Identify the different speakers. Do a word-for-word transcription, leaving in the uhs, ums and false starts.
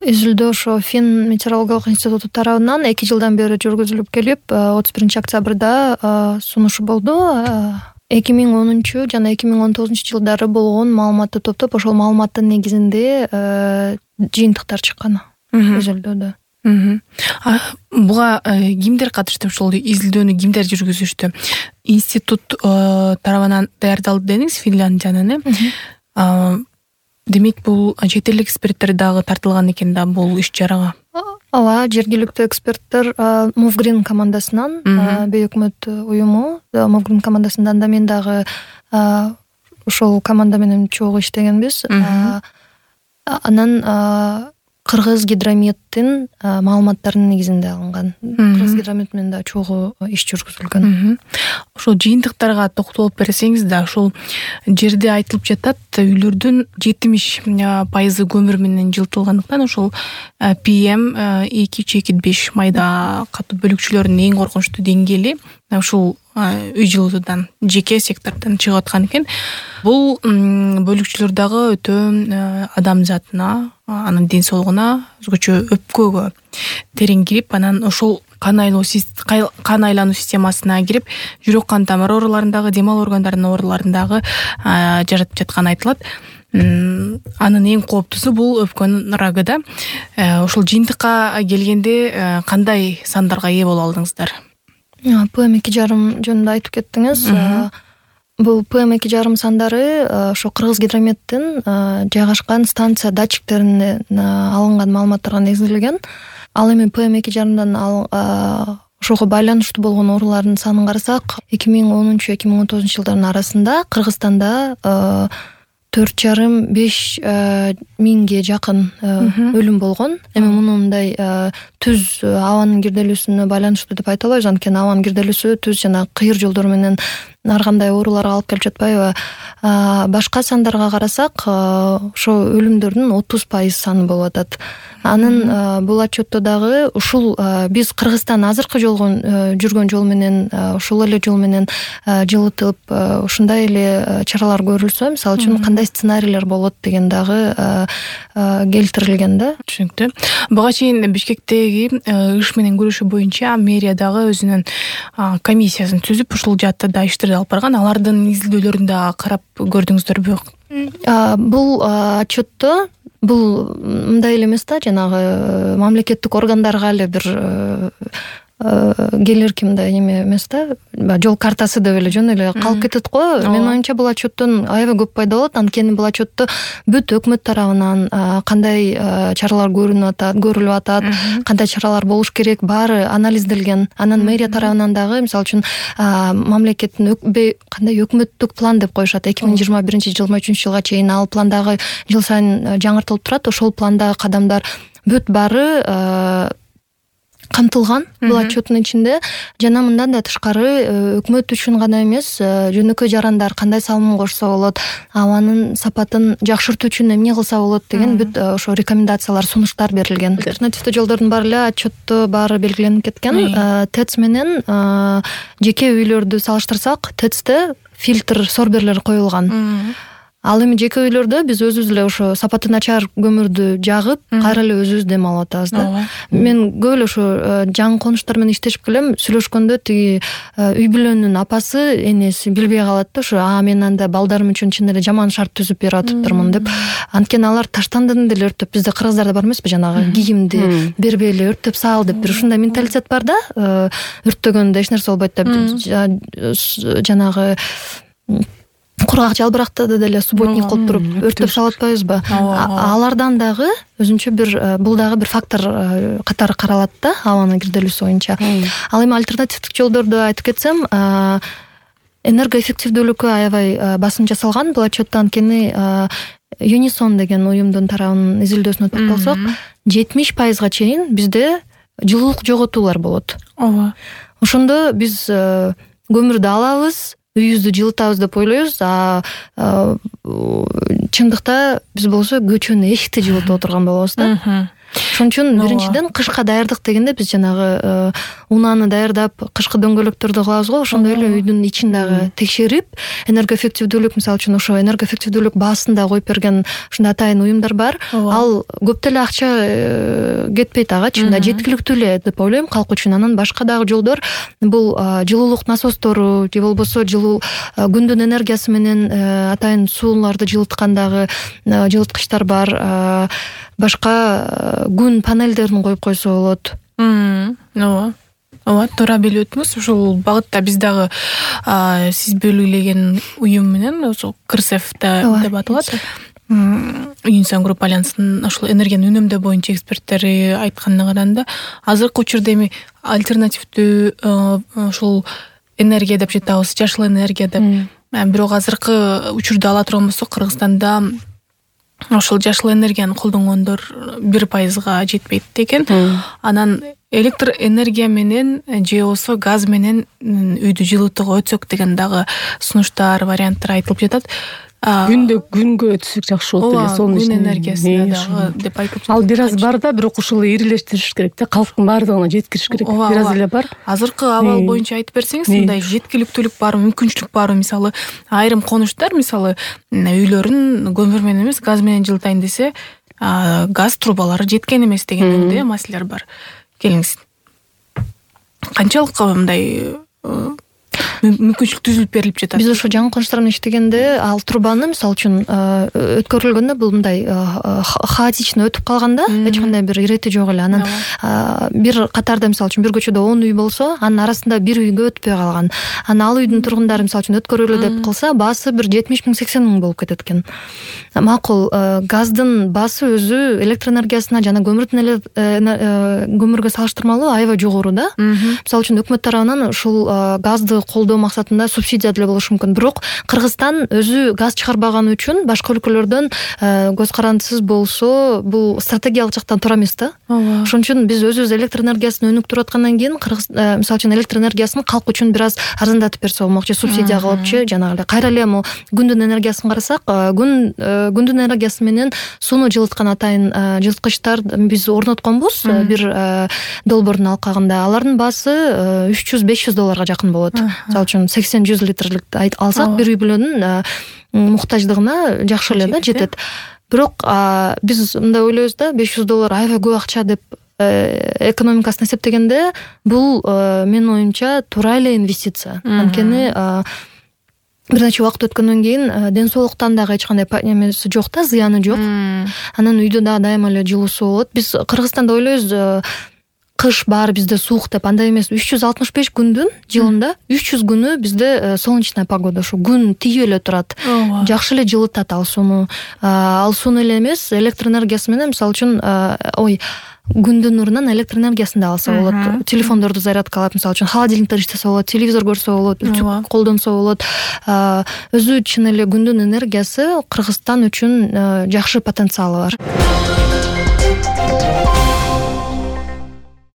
Speaker 1: Изилдөө ошо Фин метеорологиялык институту тарабынан эки жылдан бери жүргүзүлүп келип, отуз биринчи октябрда сунушу болду. эки миң онунчу жана эки миң он тогузунчу жылдары болгон маалыматты топтоп, ошол маалыматтын негизинде жыйынтыктар чыккан изилдөөдө.
Speaker 2: Буга кимдер катышты? Ошол изилдөөнү кимдер жүргүзүштү? Институт тарабынан даярдалды дедиңиз, Финляндиянын, э? Демек, бул чет элдик эксперттер дагы тартылган экен да бул иш-чарага.
Speaker 1: Ооба, жергиликтүү эксперттер Мовгрин командасынан, бейөкмөт уюму Мовгрин командасынан да мен дагы ошол команда менен чогуу иштегенбиз. Анан Кыргыз гидрометтин маалыматтарынын негизинде алынган. Кыргыз гидромет менен да чогуу иш жүргүзүлгөн.
Speaker 2: Ошол жыйынтыктарга токтолуп берсеңиз да, ошол жерде айтылып жатат, үйлөрдүн жетимиш пайызы көмүр менен жылытылгандыктан ошол пи эм эки үч эки беш майда катуу бөлүкчүлөрүнүн эң коркунучтуу деңгээли ушул үй жылытуудан, жеке сектордон чыгып аткан экен. Бул бөлүкчүлөр дагы өтө адам затына, анын ден соолугуна, өзгөчө өпкөгө терең кирип, анан ошол кан айлоо кан айлануу системасына кирип, жүрөк кан тамыр ооруларындагы, дем алуу органдарынын ооруларындагы жаратып жатканы айтылат. Анын эң кооптусу бул өпкөнүн рагы да. Ошол жыйынтыкка келгенде кандай сандарга ээ боло алдыңыздар?
Speaker 1: пэ эм эки жарым жөнүндө айтып кеттиңиз. Бул пэ эм эки жарым сандары ошо Кыргыз гидрометтин жайгашкан станция датчиктеринен алынган маалыматтарга негизделген. Ал эми пэ эм эки жарымдан ошого байланыштуу болгон оорулардын санын карасак, эки миң онунчу эки миң он тогузунчу жылдардын арасында Кыргызстанда төрт жарым беш миңге жакын өлүм болгон. Эми муну мындай түз абанын кирделүүсүнө байланыштуу деп айта албайбыз, анткени абанын кирделүүсү түз жана кыйыр жолдор менен ар кандай ооруларга алып келип жатпайбы. Башка сандарга карасак, ошо өлүмдөрдүн отуз пайыз саны болуп атат. Анын бул отчетто дагы ушул биз Кыргызстан азыркы жолгон жүргөн жол менен, ушул эле жол менен жылытып, ушундай эле чаралар көрүлсө, мисалы үчүн кандай сценарийлер болот деген дагы келтирилген да.
Speaker 2: Түшүнүктүү. Буга чейин Бишкектеги иш менен күрөшүү боюнча мэрия дагы өзүнүн комиссиясын түзүп, ушул жаатта да иштерди алып барган. Алардын изилдөөлөрүн да карап көрдүңүздөрбү?
Speaker 1: Бул отчетто бул мындай эле эмес да, жанагы мамлекеттик органдарга эле бир келер кимде эме эмес да, жол картасы деп эле жөн эле калып кетет го. Менин оюмча бул отчеттон аябай көп пайда болот, анткени бул отчетто бүт өкмөт тарабынан кандай чаралар көрүнүп атат, көрүлүп атат, кандай чаралар болуш керек, баары анализделген. Анан мэрия тарабынан дагы, мисалы үчүн, мамлекеттин кандай өкмөттүк план деп коюшат, эки миң жыйырма биринчи жыйырма үчүнчү жылга чейин ал пландагы жыл сайын жаңыртылып турат. Ошол пландагы кадамдар бүт баары камтылган бул отчеттун ичинде. Жана мындан да тышкары өкмөт үчүн гана эмес, жөнөкөй жарандар кандай салым кошсо болот, абанын сапатын жакшыртуу үчүн эмне кылса болот деген бүт ошо рекомендациялар, сунуштар берилген. Альтернативдүү жолдордун баары эле отчетто баары белгиленип кеткен. ТЭЦ менен жеке үйлөрдү салыштырсак, ТЭЦте фильтр сорберлер коюлган. Ал эми жеке үйлөрдө биз өзүбүз эле ошо сапаты начар көмүрдү жагып, кайра эле өзүбүз дем алып атабыз да. Мен көп эле ошо жаңы конуштар менен иштешип келем, сүйлөшкөндө тиги үй бүлөнүн апасы, энеси билбей калат да, ошо а мен анда балдарым үчүн чын эле жаман шарт түзүп берип атыптырмын деп. Анткени алар таштандыны деле өрттөп, бизде кыргыздарда бар эмеспи, жанагы кийимди бербей эле өрттөп сал деп бир ушундай менталитет бар да. Өрттөгөндө эч нерсе болбойт деп, жанагы кургак жалбыракты деле субботник кылып туруп өрттөп салып атпайбызбы? Алардан дагы өзүнчө бир, бул дагы бир фактор катары каралат да, абанын кирделүүсү боюнча. Ал эми альтернативдик жолдорду айтып кетсем, энергоэффективдүүлүккө аябай басым жасалган бул отчетто, анткени Юнисон деген уюмдун тарабынын изилдөөсүнө токтолсок, жетимиш пайызга чейин бизде жылуулук жоготуулар болот.
Speaker 2: Ооба.
Speaker 1: Ошондо биз көмүрдү алабыз, үйүбүздү жылытабыз деп ойлойбуз, а чындыкта биз болсо көчөнүн эшикти жылытып отурган болобуз да. Ошон үчүн биринчиден кышка даярдык дегенде биз жанагы унааны даярдап кышкы дөңгөлөктөрдү кылабыз го, ошондой эле үйдүн ичин дагы текшерип, энергоэффективдүүлүк, мисалы үчүн ошо энергоэффективдүүлүк баасын да коюп берген ушундай атайын уюмдар бар. Ал көп деле акча кетпейт ага, чынында жеткиликтүү эле деп ойлойм калк үчүн. Анан башка дагы жолдор бул жылуулук насостору же болбосо жылуу күндүн энергиясы менен атайын сууларды жылыткандагы жылыткычтар бар. Башка күн панелдерин коюп койсо болот.
Speaker 2: Ооба. Ооба, туура билип өттүңүз. Ушул багытта биз дагы сиз белгилеген уюм менен ошо КРСФ деп аталат. Union Group Alliance'нын ошол энергияны үнөмдөө боюнча эксперттери айтканына караганда, азыркы учурда эми альтернативдүү ошол энергия деп жатабыз, жашыл энергия деп. Бирок азыркы учурда ала турган болсок, Кыргызстанда ошол жашыл энергияны колдонгондор бир пайызга жетпейт экен. Анан электр энергия менен же болбосо газ менен үйдү жылытууга өтсөк деген дагы сунуштар, варианттар айтылып жатат.
Speaker 3: Күндө күнгө өтсөк жакшы болот эле, сонун
Speaker 2: күн энергиясына дагы деп айтып жатат.
Speaker 3: Ал бир аз бар да, бирок ушул ирилештириш керек да, калктын баардыгына жеткириш керек. Бир аз эле бар.
Speaker 2: Азыркы абал боюнча айтып берсеңиз, мындай жеткиликтүүлүк барбы, мүмкүнчүлүк барбы? Мисалы, айрым конуштар, мисалы, үйлөрүн көмүр менен эмес, газ менен жылытайын десе, газ трубалары жеткен эмес деген маселелер бар. Келиңиз. Канчалык мындай мүмкүнчүлүк түзүлүп берилип жатат?
Speaker 1: Биз ошо жаңы конуштар менен иштегенде, ал трубаны мисалы үчүн өткөрүлгөндө бул мындай хаотично өтүп калганда, эч кандай бир ирети жок эле. Анан бир катарда мисалы үчүн бир көчөдө он үй болсо, анын арасында бир үйгө өтпөй калган. Анан ал үйдүн тургундары мисалы үчүн өткөрүлө деп кылса, баасы бир жетимиш миң сексен миң болуп кетет экен. Макул, газдын баасы өзү электр энергиясына жана көмүрдүн эле көмүргө салыштырмалуу аябай жогору да. Мисалы үчүн өкмөт тарабынан ушул газды колдоо максатында субсидия деле болушу мүмкүн. Бирок Кыргызстан өзү газ чыгарбаганы үчүн башка өлкөлөрдөн көз карандысыз болсо, бул стратегиялык жактан туура эмес да. Ошон үчүн биз өзүбүз электр энергиясын өнүктүрүп аткандан кийин Кыргыз мисалы үчүн электр энергиясын калк үчүн бир аз арзандатып берсе болмокчу, субсидия кылыпчы, жанагы эле. Кайра эле мо күндүн энергиясын карасак, күн күндүн энергиясы менен сууну жылыткан атайын жылыткычтар биз орнотконбуз бир долбоордун алкагында. Алардын баасы үч жүз беш жүз долларга жакын болот. Мисалы үчүн сексен жүз литрлик алсак, бир үй бүлөнүн муктаждыгына жакшы эле да жетет. Бирок биз мындай ойлойбуз да, беш жүз доллар аябай көп акча деп экономикасын эсептегенде, бул менин оюмча туура эле инвестиция. Анткени бир нече убакыт өткөндөн кийин ден соолуктан дагы эч кандай эмеси жок да, зыяны жок. Анан үйдө дагы дайыма эле жылуусу болот. Биз Кыргызстанда ойлойбуз, кыш баары бизде суук деп, андай эмес. үч жүз алтымыш беш күндүн жылында үч жүз күнү бизде солнечная погода, ошо күн тийип эле турат. Жакшы эле жылытат ал сууну. Ал сууну эле эмес, электр энергиясы менен мисалы үчүн ой күндүн нурунан электр энергиясын да алса болот. Телефондорду зарядкалап, мисалы үчүн холодильниктер иштесе болот, телевизор көрсө болот, үтүк колдонсо болот. Өзү чын эле күндүн энергиясы Кыргызстан үчүн жакшы потенциалы бар.